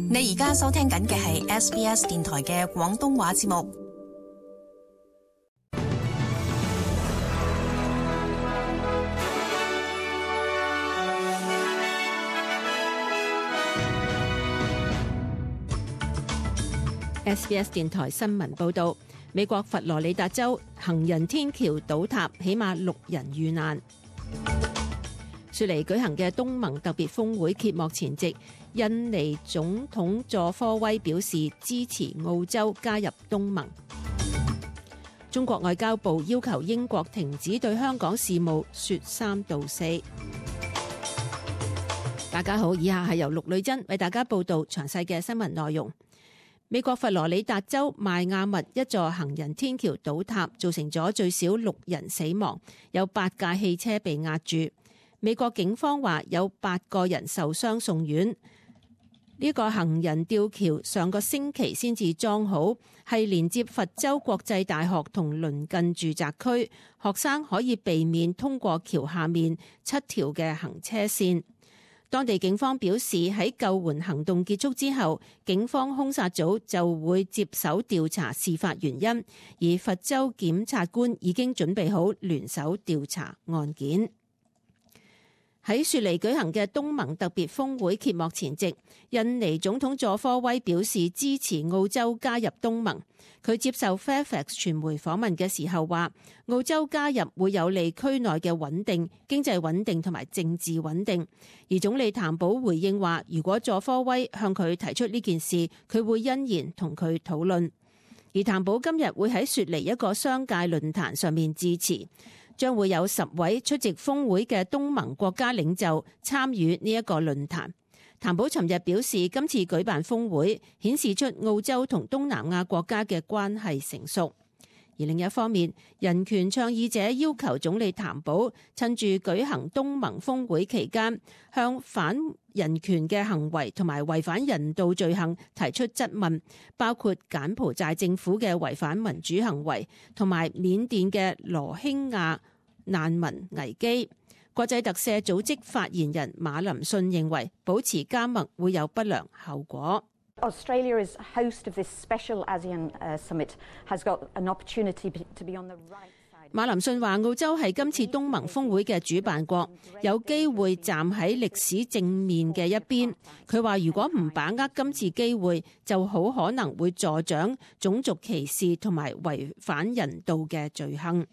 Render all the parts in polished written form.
你而家收聽緊嘅係 SBS 電台嘅廣東話節目。SBS 電台新聞報道，美國佛羅里達州行人天橋倒塌，起碼6人遇難。雪梨舉行嘅東盟特別峰會揭幕前夕，印尼總統佐科威表示支持澳洲加入東盟。中國外交部要求英國停止對香港事務說三道四。大家好，以下係由陸女珍為大家報道詳細嘅新聞內容。美國佛羅里達州邁亞密一座行人天橋倒塌，造成咗最少6人死亡，有8架汽車被壓住。美國警方話有8個人受傷送院。呢個行人吊橋上個星期先至裝好，係連接佛州國際大學同鄰近住宅區，學生可以避免通過橋下面7條嘅行車線。當地警方表示，喺救援行動結束之後，警方兇殺組就會接手調查事發原因，而佛州檢察官已經準備好聯手調查案件。喺雪梨舉行嘅東盟特別峰會揭幕前夕，印尼總統佐科威表示支持澳洲加入東盟。佢接受 Fairfax 傳媒訪問嘅時候話，澳洲加入會有利區內嘅穩定、經濟穩定同埋政治穩定。而總理譚寶回應話，如果佐科威向佢提出呢件事，佢會欣然同佢討論。而譚寶今日會喺雪梨一個商界論壇上面致辭。將會有10位出席峰會嘅東盟國家領袖參與呢一個論壇。譚寶尋日表示，今次舉辦峰會顯示出澳洲同東南亞國家嘅關係成熟。而另一方面，人權倡議者要求總理譚寶趁住舉行東盟峰會期間，向反人權嘅行為同埋違反人道罪行提出質問，包括柬埔寨政府嘅違反民主行為，同埋緬甸嘅羅興亞難民危機。國際特赦組織發言人馬林遜認為，保持緘默會有不良後果。Australia is host of this special ASEAN summit has got an opportunity to be on the right side. 馬林遜話，澳洲係今次東盟峰會嘅主辦國，有機會站喺歷史正面嘅一邊。佢話如果唔把握今次機會，就好可能會助長種族歧視同埋違反人道嘅罪行。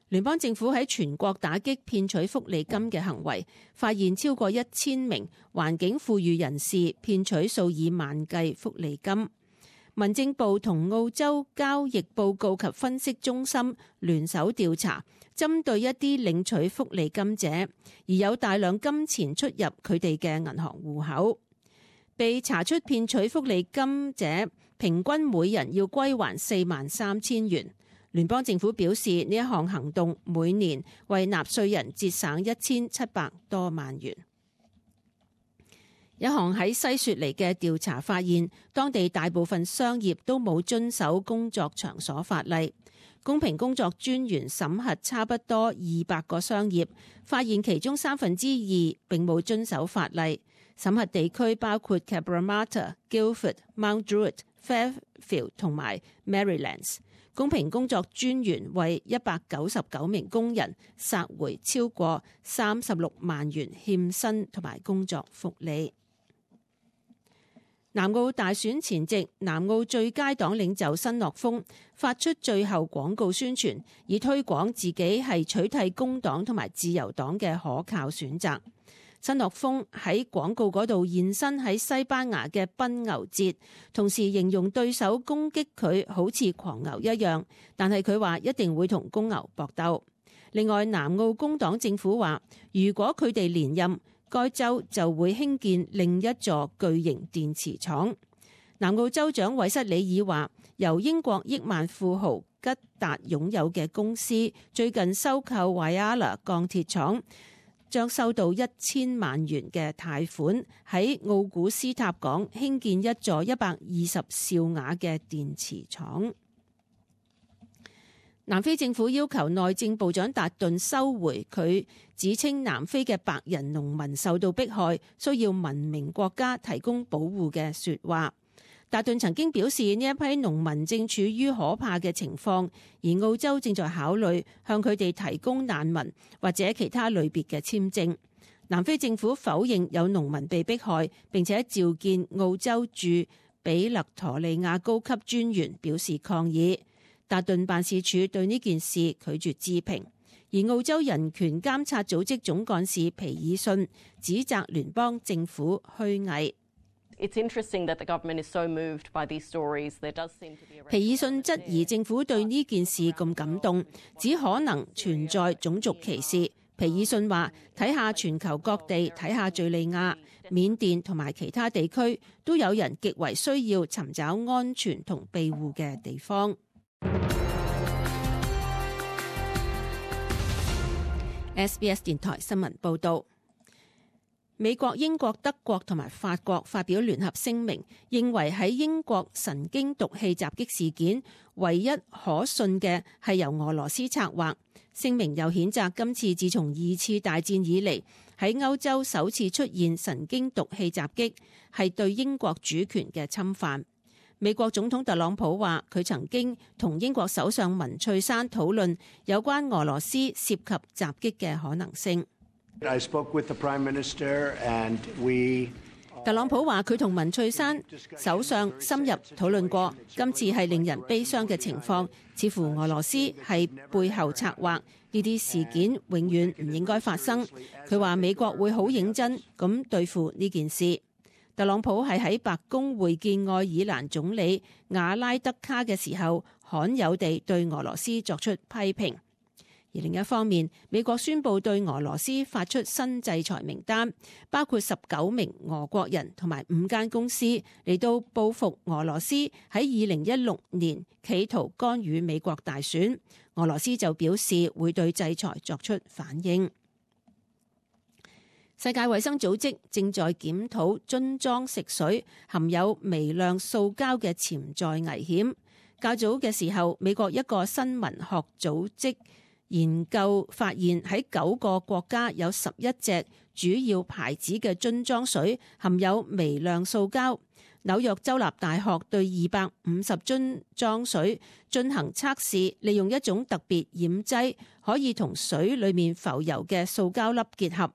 聯邦政府喺全國打擊騙取福利金嘅行為，發現超過1000名環境富裕人士騙取數以萬計福利金。民政部同澳洲交易報告及分析中心聯手調查，針對一啲領取福利金者，而有大量金錢出入佢哋嘅銀行戶口。被查出騙取福利金者，平均每人要歸還43000元。聯邦政府表示，呢一項行動每年為納稅人節省1700多萬元。一項喺西雪梨嘅調查發現，當地大部分商業都冇遵守工作場所法例。公平工作專員審核差不多200個商業，發現其中2/3並冇遵守法例。審核地區包括 Cabramatta、Guildford、Mount Druitt、Fairfield 同埋 Merrylands。公平工作專員為199名工人索回超過36萬元欠薪同埋工作福利。南澳大選前夕，南澳最佳黨領袖新諾豐發出最後廣告宣傳，以推廣自己係取締工黨同埋自由黨嘅可靠選擇。新諾豐喺廣告嗰度現身喺西班牙嘅奔牛節，同時形容對手攻擊佢好似狂牛一樣，但係佢話一定會同公牛搏鬥。另外，南澳工黨政府話，如果佢哋連任，該州就會興建另一座巨型電池廠。南澳州長韋瑟里爾話，由英國億萬富豪吉達擁有嘅公司最近收購 Whyalla 鋼鐵廠，將收到1000萬元嘅貸款，喺奧古斯塔港興建一座120兆瓦嘅電池廠。南非政府要求內政部長達頓收回佢指稱南非嘅白人農民受到迫害，需要文明國家提供保護嘅說話。達頓曾經表示呢一批農民正處於可怕嘅情況，而澳洲正在考慮向佢哋提供難民或者其他類別嘅簽證。南非政府否認有農民被迫害，並且召見澳洲駐比勒陀利亞高級專員表示抗議。達頓辦事處對呢件事拒絕置評，而澳洲人權監察組織總幹事皮爾遜指責聯邦政府虛偽。皮爾遜質疑政府對呢件事咁感動，只可能存在種族歧視。皮爾遜話：睇下全球各地，睇下敘利亞、緬甸同埋其他地區，都有人極為需要尋找安全同庇護嘅地方。SBS 電台新聞報導，美國、英國、德國同埋法國發表聯合聲明，認為喺英國神經毒氣襲擊事件，唯一可信嘅係由俄羅斯策劃。聲明又譴責今次自從二次大戰以嚟喺歐洲首次出現神經毒氣襲擊，係對英國主權嘅侵犯。美國總統特朗普話，佢曾經同英國首相文翠珊討論有關俄羅斯涉及襲擊嘅可能性。特朗普話佢同文翠珊首相深入討論過，今次係令人悲傷嘅情況，似乎俄羅斯係背後策劃，呢啲事件永遠唔應該發生。佢話美國會好認真咁對付呢件事。特朗普係喺白宮會見愛爾蘭總理瓦拉德卡嘅時候，罕有地對俄羅斯作出批評。而另一方面，美國宣布對俄羅斯發出新制裁名單，包括19名俄國人同埋5間公司，嚟到報復俄羅斯喺2016年企圖干預美國大選。俄羅斯就表示會對制裁作出反應。世界衛生組織正在檢討樽裝食水含有微量塑膠嘅潛在危險。較早嘅時候，美國一個新聞學組織研究發現喺9個國家有11隻主要牌子嘅樽裝水含有微量塑膠。紐約州立大學對250樽裝水進行測試，利用一種特別染劑可以同水裡面浮游嘅塑膠粒結合。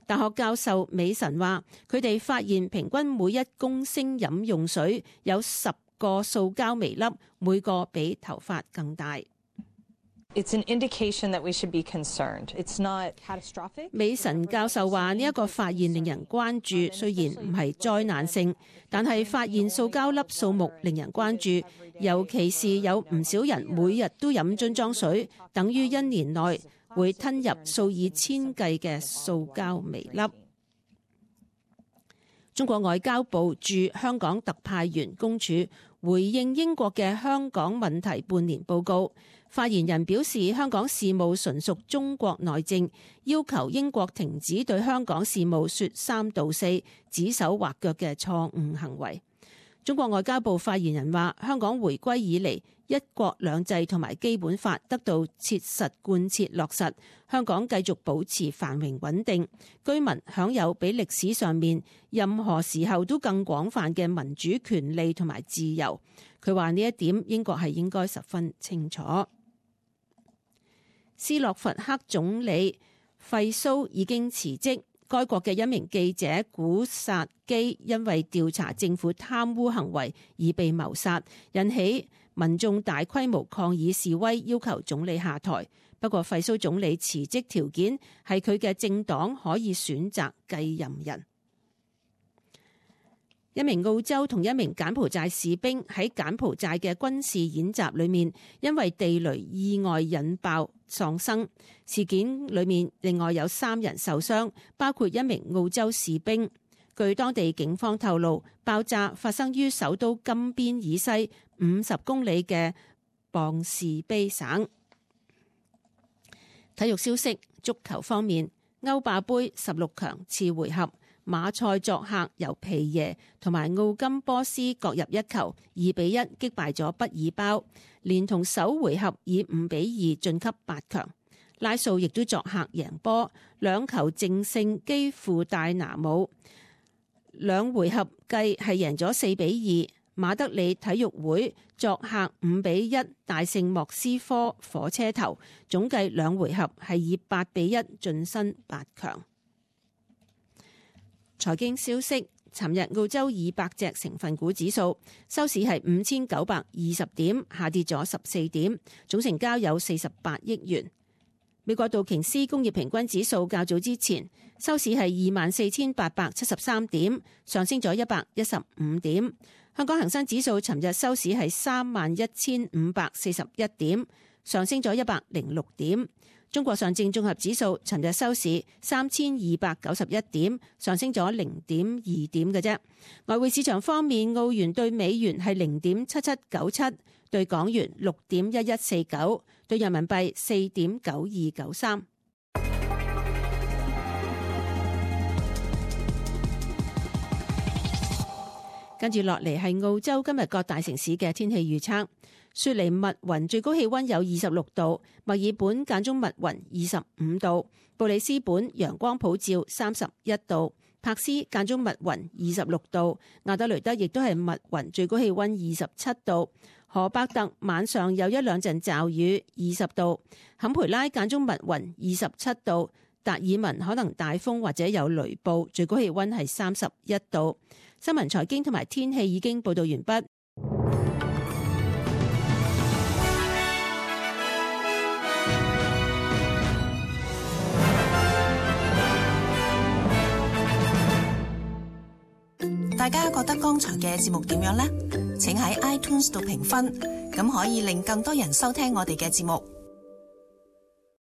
大學教授美神話，佢哋發現平均每1公升飲用水有10個塑膠微粒，每個比頭髮更大。It's an indication that we should be concerned. It's not catastrophic. 美神教授話呢一個發現令人關注，雖然唔係災難性，但係發現塑膠粒數目令人關注，尤其是有唔少人每日都飲樽裝水，等於1年內會吞入數以千計嘅塑膠微粒。中國外交部駐香港特派員公署回應英國嘅香港問題半年報告，發言人表示香港事務純屬中國內政，要求英國停止對香港事務說三道四、指手畫腳嘅錯誤行為。中國外交部發言人話，香港回歸以嚟，一國兩制同埋基本法得到切實貫徹落實，香港繼續保持繁榮穩定，居民享有比歷史上面任何時候都更廣泛嘅民主權利同埋自由。佢話呢一點英國係應該十分清楚。斯洛伐克總理費蘇已經辭職。該國嘅一名記者古薩基因為調查政府貪污行為而被謀殺，引起民眾大規模抗議示威，要求總理下台。不過費蘇總理辭職條件係佢嘅政黨可以選擇繼任人。一名澳洲同一名柬埔寨士兵喺柬埔寨嘅軍事演習裏面，因為地雷意外引爆喪生。事件裏面另外有3人受傷，包括一名澳洲士兵。據當地警方透露，爆炸發生於首都金邊以西50公里嘅邦士卑省。體育消息，足球方面，歐霸盃16強次回合，馬賽作客由皮耶同埋奧金波斯各入一球，2-1擊敗咗畢爾包，連同首回合以5-2晉級8強。拉素亦都作客贏波，2球淨勝基輔戴拿姆，2回合計係贏咗4-2。馬德里體育會作客5-1大勝莫斯科火車頭，總計2回合係以8-1晉身8強。財經消息，尋日澳洲200隻成分股指數收市係5920點，下跌咗14點，總成交有48億元。美國道瓊斯工業平均指數較早之前收市係24,873點，上升咗115點。香港恒生指數尋日收市係31,541點，上升咗106點。中國上證綜合指數尋日收市3,291點，上升咗0.2點嘅啫。外匯市場方面，澳元對美元係0.7797，對港元6.1149，對人民幣4.9293。跟住落嚟係澳洲今日各大城市嘅天氣預測。雪梨密雲最高氣溫有26度，墨爾本間中密雲25度，布里斯本陽光普照31度，柏斯間中密雲26度，亞德雷德亦都係密雲最高氣溫27度，荷伯特晚上有1-2陣驟雨20度，坎培拉間中密雲27度，達爾文可能大風或者有雷暴，最高氣溫係31度。新聞財經同埋天氣已經報道完畢。大家覺得剛才嘅節目點樣呢？請喺 iTunes 度評分，咁可以令更多人收聽我哋嘅節目。